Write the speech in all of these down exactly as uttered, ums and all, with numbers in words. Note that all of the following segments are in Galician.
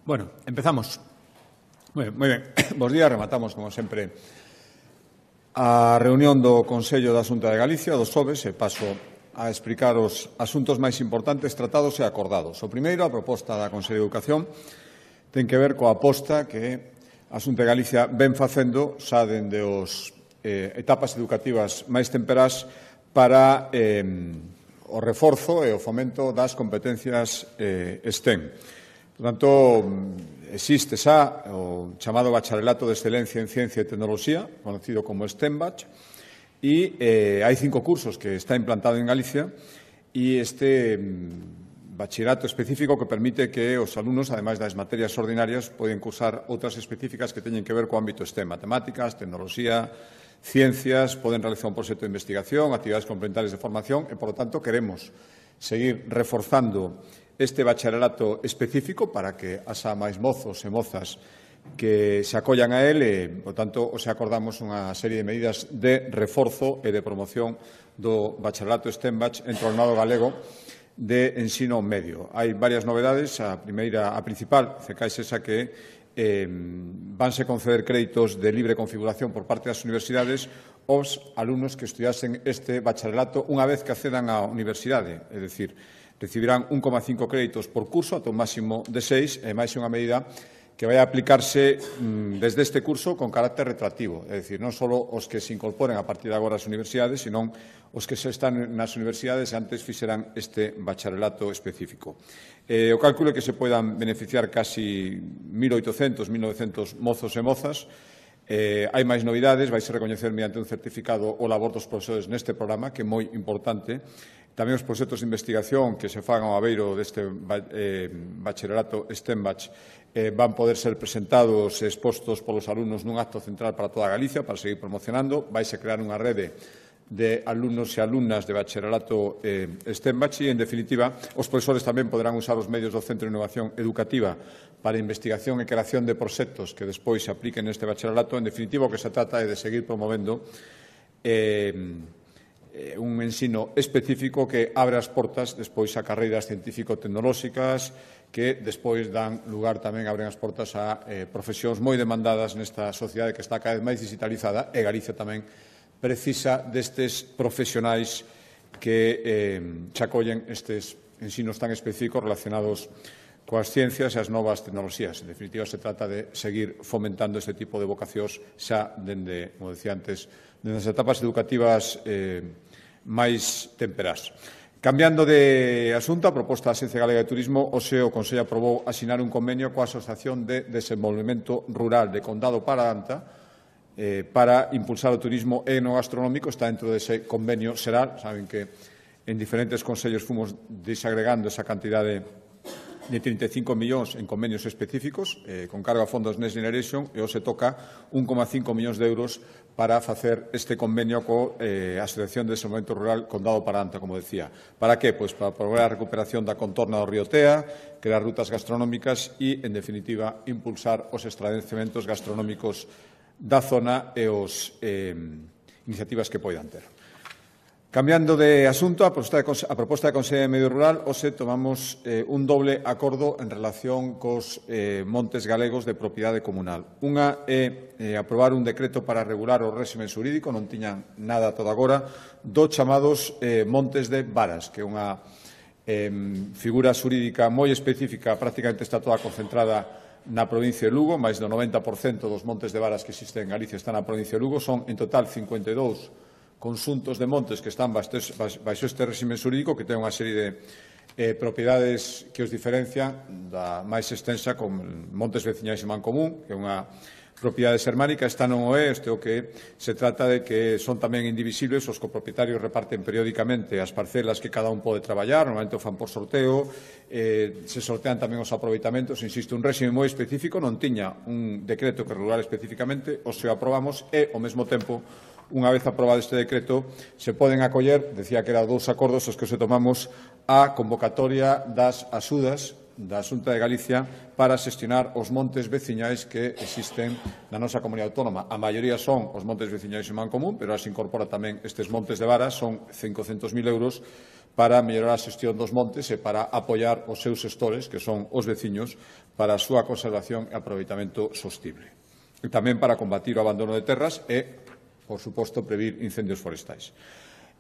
Bueno, empezamos. Moi ben, moi ben. Bos días, rematamos, como sempre, a reunión do Consello da Xunta de Galicia, do Xoves, e paso a explicar os asuntos máis importantes tratados e acordados. O primeiro, a proposta da Consello de Educación, ten que ver coa aposta que a Xunta de Galicia ven facendo xa dende os eh, etapas educativas máis temperás para eh, o reforzo e o fomento das competencias eh, STEM. Por tanto, existe xa o chamado Bacharelato de Excelencia en Ciencia e Tecnoloxía, conocido como STEMBach, e eh, hai cinco cursos que está implantado en Galicia e este mm, bachillerato específico que permite que os alumnos, ademais das materias ordinarias, poden cursar outras específicas que teñen que ver co ámbito STEM, matemáticas, tecnoloxía, ciencias, poden realizar un proxecto de investigación, actividades complementarias de formación e, por lo tanto, queremos seguir reforzando este bacharelato específico para que haxa máis mozos e mozas que se acollan a él e, por tanto, os acordamos unha serie de medidas de reforzo e de promoción do bacharelato STEMBach entre o alumnado galego de ensino medio. Hai varias novedades. A primeira, a principal, CECAIS esa que eh, vanse conceder créditos de libre configuración por parte das universidades aos alumnos que estudiasen este bacharelato unha vez que accedan á universidade, é dicir, recibirán un coma cinco créditos por curso ata un máximo de seis, e máis unha medida que vai a aplicarse mmm, desde este curso con carácter retroactivo, é dicir, non só os que se incorporen a partir de agora ás universidades, senón os que se están nas universidades e antes fixeran este bacharelato específico. Eh, o cálculo é que se poidan beneficiar casi mil oitocentos, mil novecentos mozos e mozas. Eh, hai máis novidades, vai se recoñecer mediante un certificado o labor dos profesores neste programa, que é moi importante. Tamén os proxectos de investigación que se fagan ao abeiro deste eh, bacharelato STEMBach eh, van poder ser presentados e expostos polos alumnos nun acto central para toda Galicia para seguir promocionando. Vaise crear unha rede de alumnos e alumnas de bacharelato eh, STEMBach e, en definitiva, os profesores tamén poderán usar os medios do Centro de Innovación Educativa para investigación e creación de proxectos que despois se apliquen neste bacharelato. En definitiva, o que se trata é de seguir promovendo eh, un ensino específico que abre as portas despois a carreiras científico-tecnolóxicas que despois dan lugar tamén, abren as portas a eh, profesións moi demandadas nesta sociedade que está cada vez máis digitalizada, e Galicia tamén precisa destes profesionais que eh, se acollen estes ensinos tan específicos relacionados coas ciencias e as novas tecnoloxías. En definitiva, se trata de seguir fomentando este tipo de vocacións xa dende, como decía antes, dende as etapas educativas eh, máis temperás. Cambiando de asunto, a proposta da Axencia Galega de Turismo, hoxe o Consello aprobou asinar un convenio coa Asociación de Desenvolvemento Rural de Condado Paradanta eh, para impulsar o turismo etnogastronómico. Está dentro dese convenio xeral. Saben que en diferentes consellos fomos desagregando esa cantidade de trinta e cinco millóns en convenios específicos, eh, con cargo a fondos Next Generation, e hoxe toca un coma cinco millóns de euros para facer este convenio co eh, Asociación de Desenvolvemento Rural Condado Paradanta, como decía. Para que? Pois para promover a recuperación da contorna do río Tea, crear rutas gastronómicas e, en definitiva, impulsar os estabelecementos gastronómicos da zona e os eh, iniciativas que poidan ter. Cambiando de asunto, a proposta de, a proposta de Consello de Medio Rural, hoxe tomamos eh, un doble acordo en relación cos eh, montes galegos de propiedade comunal. Unha é eh, aprobar un decreto para regular o réxime xurídico, non tiñan nada todo agora, dos chamados eh, montes de varas, que é unha eh, figura xurídica moi específica, prácticamente está toda concentrada na provincia de Lugo. Máis do noventa por cento dos montes de varas que existen en Galicia están na provincia de Lugo. Son, en total, cincuenta e dous conxuntos de montes que están baixo este réxime xurídico, que ten unha serie de eh, propiedades que os diferencian da máis extensa, con montes veciñais en Mancomún, que é unha propiedade xermánica. Esta non o é, este o que se trata de que son tamén indivisibles, os copropietarios reparten periódicamente as parcelas que cada un pode traballar, normalmente o fan por sorteo, eh, se sortean tamén os aproveitamentos. Insisto, un réxime moi específico, non tiña un decreto que regular especificamente, o se o aprobamos e, ao mesmo tempo, unha vez aprobado este decreto, se poden acoller, decía que eran dous acordos os que se tomamos, a convocatoria das axudas da Xunta de Galicia para xestionar os montes veciñais que existen na nosa comunidade autónoma. A maioría son os montes veciñais en Mancomún, pero se incorpora tamén estes montes de varas, son cincocentos mil euros para mellorar a xestión dos montes e para apoiar os seus xestores, que son os veciños, para a súa conservación e aproveitamento sostible. E tamén para combatir o abandono de terras e, por suposto, previr incendios forestais.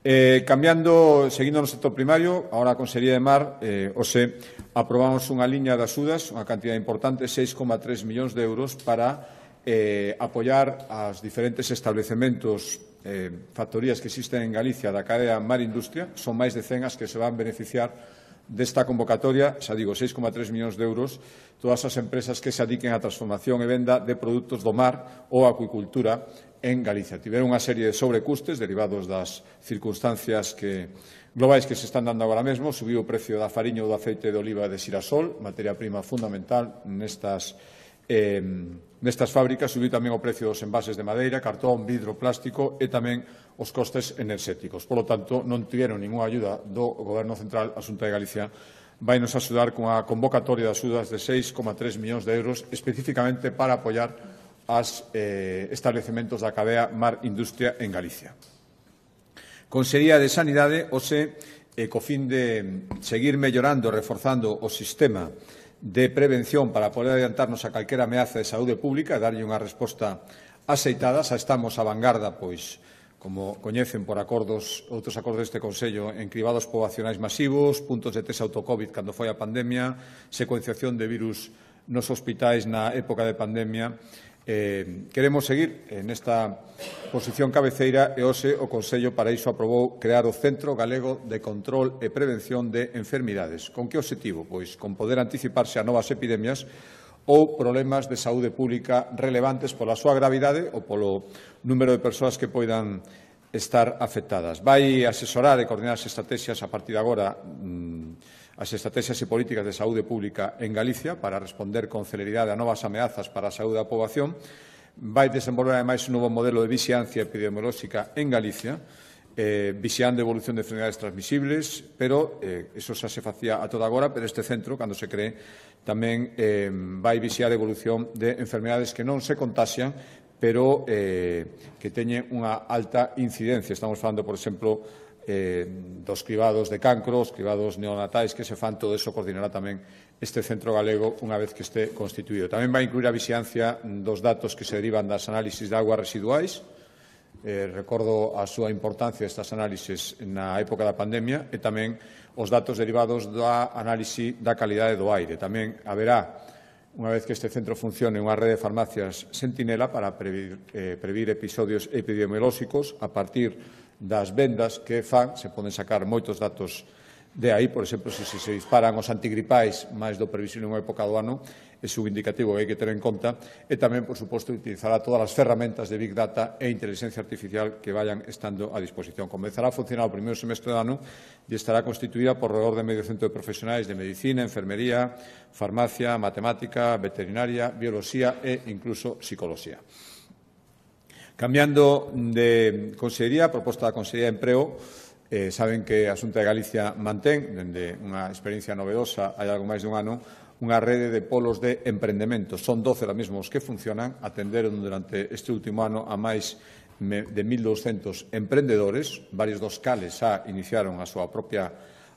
Eh, cambiando, seguindo no sector primario, ahora a Consellería de Mar, eh, ose, aprobamos unha liña de axudas, unha cantidad importante, seis coma tres millóns de euros, para eh, apoiar as diferentes establecementos, eh, factorías que existen en Galicia da cadea Mar Industria. Son máis de cen as que se van beneficiar desta convocatoria, xa digo, seis coma tres millóns de euros, todas as empresas que se adiquen á transformación e venda de produtos do mar ou acuicultura en Galicia. Tiveron unha serie de sobrecustes derivados das circunstancias que, globais que se están dando agora mesmo. Subiu o precio da fariña ou do aceite de oliva de xirasol, materia prima fundamental nestas, eh, nestas fábricas. Subiu tamén o precio dos envases de madeira, cartón, vidro, plástico e tamén os costes enerxéticos. Por lo tanto, non tiveron ninguna ayuda do Goberno Central. A Xunta de Galicia vai nos axudar con a convocatoria de axudas de seis coma tres millóns de euros especificamente para apoiar aos eh, establecementos da cadea Mar Industria en Galicia. Consellería de Sanidade, ose, eh, co fin de seguir mellorando e reforzando o sistema de prevención para poder adiantarnos a calquera ameaza de saúde pública e darlle unha resposta axeitada. Xa estamos a vanguarda, pois, como coñecen por acordos, outros acordos deste Consello, en cribados poboacionais masivos, puntos de test autocovid cando foi a pandemia, secuenciación de virus nos hospitais na época de pandemia. Eh, queremos seguir nesta posición cabeceira e hoxe o Consello para iso aprobou crear o Centro Galego de Control e Prevención de Enfermidades. Con que obxectivo? Pois con poder anticiparse a novas epidemias ou problemas de saúde pública relevantes pola súa gravidade ou polo número de persoas que poidan estar afectadas. Vai asesorar e coordinar as estrategias a partir de agora mmm, as estrategias e políticas de saúde pública en Galicia para responder con celeridade a novas ameazas para a saúde da poboación. Vai desenvolver, ademais, un novo modelo de vixiancia epidemiolóxica en Galicia, eh, vixiando a evolución de enfermedades transmisibles, pero eh, eso xa se facía a toda agora, pero este centro, cando se cree, tamén eh, vai vixiar a evolución de enfermedades que non se contaxian, pero eh, que teñen unha alta incidencia. Estamos falando, por exemplo, eh, dos cribados de cancro, os cribados neonatais que se fan. Todo eso coordinará tamén este centro galego unha vez que este constituído. Tamén vai incluir a vixiancia dos datos que se derivan das análisis de aguas residuais. Eh, recordo a súa importancia estas análisis na época da pandemia e tamén os datos derivados da análise da calidade do aire. Tamén haberá, unha vez que este centro funcione, unha rede de farmacias sentinela para previr, eh, previr episodios epidemiolóxicos a partir das vendas que fan. Se poden sacar moitos datos de aí. Por exemplo, se se disparan os antigripais máis do previsible en unha época do ano, é un indicativo que hai que ter en conta. E tamén, por suposto, utilizará todas as ferramentas de Big Data e inteligencia artificial que vayan estando a disposición. Comezará a funcionar o primeiro semestre do ano e estará constituída por alrededor de medio centro de profesionais de medicina, enfermería, farmacia, matemática, veterinaria, bioloxía e incluso psicología. Cambiando de consellería, a proposta da Consellería de Emprego, eh, saben que a Xunta de Galicia mantén, dende unha experiencia novedosa, hai algo máis dun ano, unha rede de polos de emprendemento. Son doce ahora mesmo os que funcionan, atenderon durante este último ano a máis de mil douscentos emprendedores, varios dos cales xa iniciaron a súa propia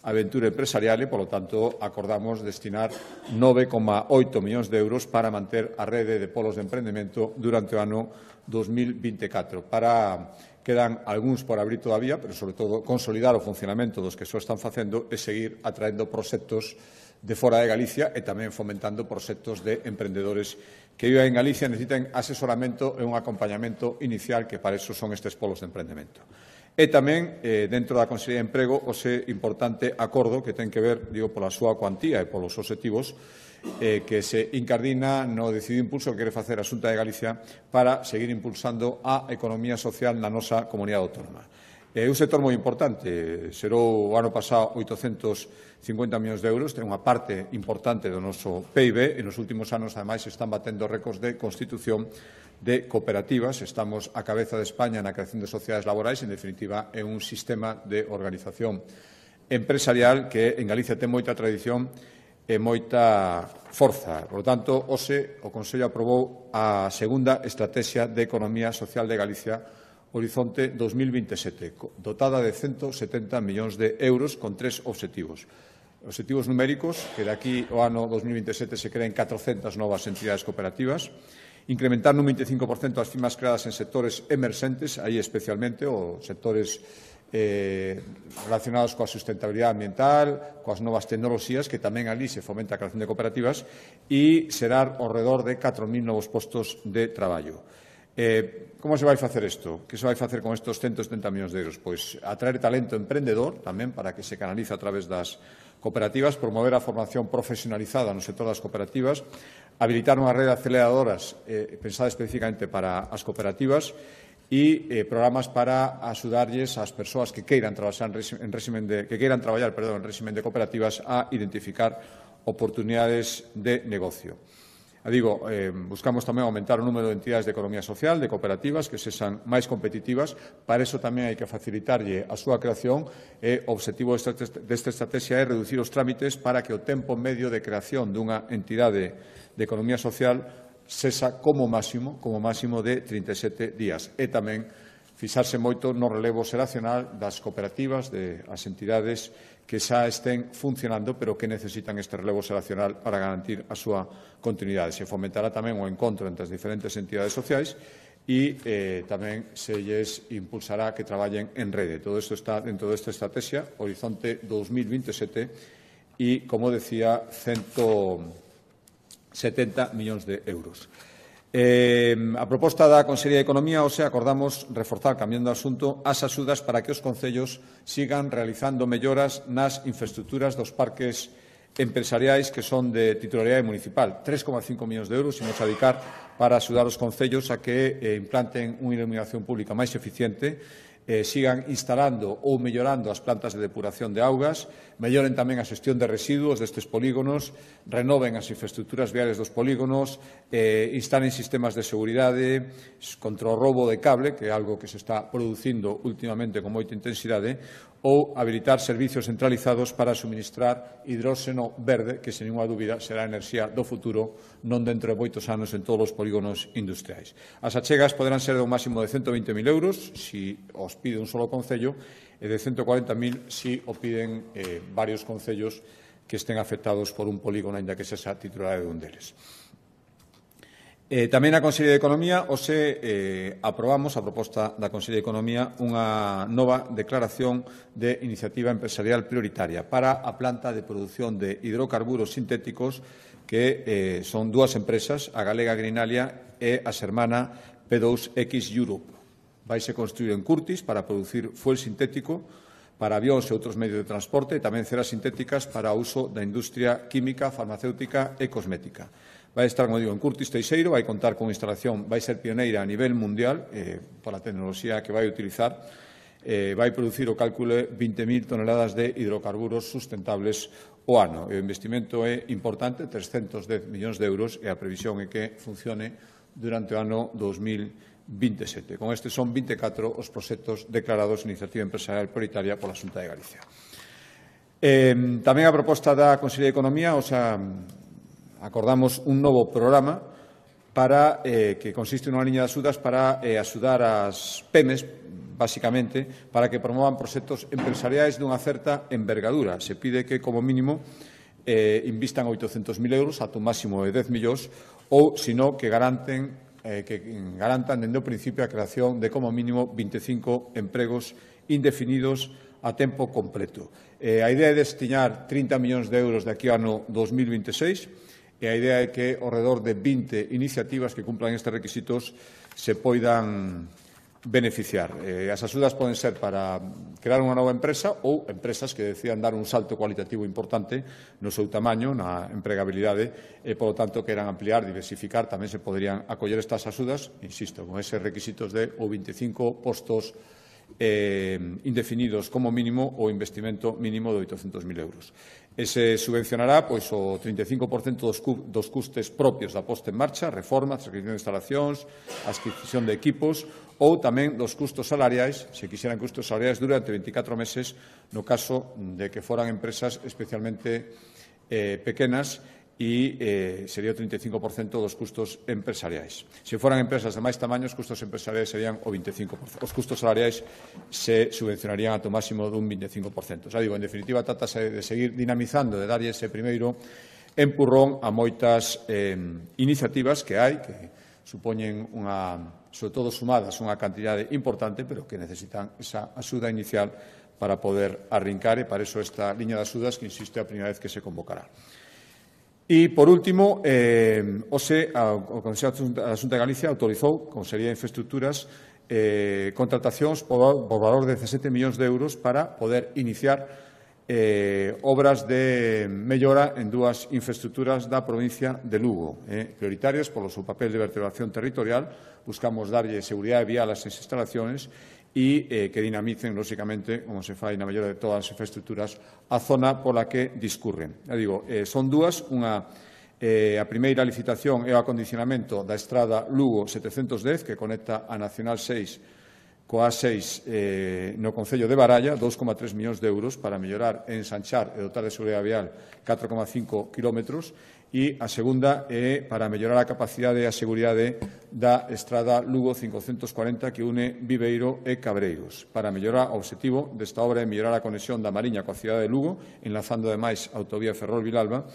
aventura empresarial e, polo tanto, acordamos destinar nove coma oito millóns de euros para manter a rede de polos de emprendemento durante o ano dos mil vinte e catro. Para, quedan algúns por abrir todavía, pero, sobre todo, consolidar o funcionamento dos que só están facendo e seguir atraendo proxectos de fora de Galicia e tamén fomentando proxectos de emprendedores que vivan en Galicia, necesiten asesoramento e un acompañamento inicial, que para eso son estes polos de emprendemento. E tamén, eh, dentro da Consellería de Emprego, o ese importante acordo que ten que ver, digo, pola súa cuantía e polos obxectivos, eh, que se incardina no decidido impulso que quere facer a Xunta de Galicia para seguir impulsando a economía social na nosa comunidade autónoma. É un sector moi importante, xerou o ano pasado oitocentos cincuenta millóns de euros, ten unha parte importante do noso P I B e nos últimos anos, ademais, están batendo récords de constitución de cooperativas. Estamos a cabeza de España na creación de sociedades laborais, en definitiva, é un sistema de organización empresarial que en Galicia ten moita tradición e moita forza. Por lo tanto, hoxe o Consello aprobou a segunda Estrategia de Economía Social de Galicia Horizonte dos mil veintisiete, dotada de ciento setenta millóns de euros con tres obxectivos. Obxectivos numéricos, que de aquí ao ano dos mil veintisiete se creen catrocentas novas entidades cooperativas, incrementar nun veinticinco por cento as firmas creadas en sectores emerxentes, aí especialmente os sectores eh, relacionados coa sustentabilidade ambiental, coas novas tecnoloxías, que tamén ali se fomenta a creación de cooperativas, e xerar ao redor de catro mil novos postos de traballo. Eh, como se vai facer isto? Que se vai facer con estes ciento setenta millóns de euros? Pois atraer talento emprendedor, tamén para que se canalice a través das cooperativas, promover a formación profesionalizada no sector das cooperativas, habilitar unha rede de aceleradoras eh, pensada especificamente para as cooperativas e eh, programas para axudarlles ás persoas que queiran traballar en régimen de que queiran traballar, perdón, en régimen de cooperativas a identificar oportunidades de negocio. A digo, eh, buscamos tamén aumentar o número de entidades de economía social, de cooperativas, que sexan máis competitivas. Para iso tamén hai que facilitarlle a súa creación e o obxectivo desta estrategia é reducir os trámites para que o tempo medio de creación dunha entidade de economía social sexa como máximo, como máximo de trinta e sete días. E tamén fixarse moito no relevo xeracional das cooperativas, das entidades que xa estén funcionando, pero que necesitan este relevo xeracional para garantir a súa continuidade. Se fomentará tamén o encontro entre as diferentes entidades sociais e eh, tamén se lles impulsará que traballen en rede. Todo isto está dentro desta estrategia, Horizonte dos mil veintisiete, e, como decía, ciento setenta millóns de euros. Eh, a proposta da Consellería de Economía, hoxe, acordamos reforzar, cambiando de asunto, as axudas para que os concellos sigan realizando melloras nas infraestructuras dos parques empresariais que son de titularidade municipal. tres coma cinco millóns de euros imos a dedicar para axudar os concellos a que eh, implanten unha iluminación pública máis eficiente, eh, sigan instalando ou mellorando as plantas de depuración de augas, melloren tamén a xestión de residuos destes polígonos, renoven as infraestructuras viales dos polígonos, eh, instalen sistemas de seguridade contra o roubo de cable, que é algo que se está producindo últimamente con moita intensidade, ou habilitar servicios centralizados para suministrar hidróxeno verde, que, sen ninguna dúbida, será a enerxía do futuro, non dentro de moitos anos en todos os polígonos industriais. As achegas poderán ser de un máximo de ciento veinte mil euros, se os pide un solo concello, e de ciento cuarenta mil se o piden eh, varios concellos que estén afectados por un polígono, aínda que sexa titular de un deles. Eh, tamén a Consellería de Economía, hoxe eh, aprobamos a proposta da Consellería de Economía unha nova declaración de iniciativa empresarial prioritaria para a planta de produción de hidrocarburos sintéticos que eh, son dúas empresas, a galega Greenalia e a xermana P dous X Europe. Vaise construir en Curtis para producir fuel sintético para avións e outros medios de transporte e tamén ceras sintéticas para o uso da industria química, farmacéutica e cosmética. Vai estar, como digo, en Curtis Teixeiro, vai contar con instalación, vai ser pioneira a nivel mundial eh, por a tecnoloxía que vai utilizar, eh, vai producir o cálculo de vinte mil toneladas de hidrocarburos sustentables o ano. O investimento é importante, trescentos dez millóns de euros, e a previsión é que funcione durante o ano dos mil veintisiete. Con este son vinte e catro os proxectos declarados iniciativa empresarial prioritaria pola Xunta de Galicia. Eh, tamén a proposta da Consellería de Economía, o sea, acordamos un novo programa para eh, que consiste nunha liña de axudas para eh, axudar as PEMES, basicamente, para que promovan proxectos empresariais dunha certa envergadura. Se pide que, como mínimo, eh, invistan oitocentos mil euros, ata un máximo de dez millóns, ou, sino, que garanten eh, que garantan dende o principio a creación de, como mínimo, vinte e cinco empregos indefinidos a tempo completo. Eh, a idea é destinar trinta millóns de euros de aquí ao ano dos mil veintiséis, e a idea é que ao redor de vinte iniciativas que cumplan estes requisitos se poidan beneficiar. Eh, as axudas poden ser para crear unha nova empresa ou empresas que decidan dar un salto cualitativo importante no seu tamaño, na empregabilidade, e, polo tanto, queran ampliar, diversificar, tamén se poderían acoller estas axudas, insisto, con eses requisitos de o veinticinco postos eh, indefinidos como mínimo ou investimento mínimo de oitocentos mil euros. E se subvencionará pois, o trinta e cinco por cento dos, dos custes propios da posta en marcha, reforma, adquisición de instalacións, adquisición de equipos, ou tamén dos custos salariais, se quixeran custos salariais durante veinticatro meses, no caso de que foran empresas especialmente eh, pequenas e eh, sería o trinta e cinco por cento dos custos empresariais. Se foran empresas de máis tamaño, os custos empresariais serían o vinte e cinco por cento. Os custos salariais se subvencionarían ata o máximo dun vinte e cinco por cento. Xa digo, en definitiva, trátase de seguir dinamizando, de darlle ese primeiro empurrón a moitas eh, iniciativas que hai, que supoñen unha, sobre todo sumadas, unha cantidade importante, pero que necesitan esa axuda inicial para poder arrincar, e para iso esta liña de axudas que, insisto, é a primeira vez que se convocará. E, por último, eh, hoxe, o Consello da Xunta de Galicia autorizou, como sería infraestructuras, eh, contratacións por, por valor de dezasete millóns de euros para poder iniciar eh, obras de mellora en dúas infraestructuras da provincia de Lugo, eh, prioritarias polo seu papel de vertebración territorial. Buscamos darlle seguridade vial ás instalacións e eh, que dinamicen, lóxicamente, como se fai na mellora de todas as infraestructuras, a zona pola que discurren. Ya digo, eh, son dúas, unha, eh, a primeira licitación é o acondicionamento da estrada Lugo setecentos dez, que conecta a Nacional seis coa A seis eh, no Concello de Baralla, dous coma tres millóns de euros para mellorar, ensanchar e dotar de seguridade vial catro coma cinco kilómetros, e a segunda é para mellorar a capacidade e a seguridade da estrada Lugo cincocentos cuarenta que une Viveiro e Cabreiros. Para mellorar, o obxectivo desta obra é mellorar a conexión da Mariña coa cidade de Lugo, enlazando ademais a autovía Ferrol-Vilalba.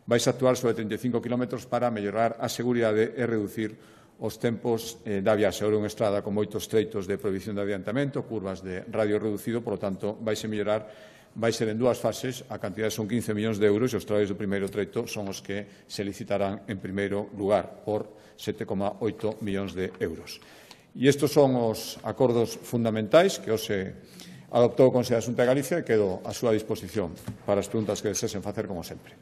Vais a actuar sobre trinta e cinco kilómetros para mellorar a seguridade e reducir os tempos eh, da viaxe. Ora, unha estrada con moitos treitos de prohibición de adiantamento, curvas de radio reducido, por lo tanto, vais a mellorar, vai ser en dúas fases, a cantidade son quince millóns de euros e os traballos do primeiro treito son os que se licitarán en primeiro lugar por sete coma oito millóns de euros. E estes son os acordos fundamentais que hoxe adoptou o Consello da Xunta de Galicia e quedo á súa disposición para as preguntas que desesen facer, como sempre.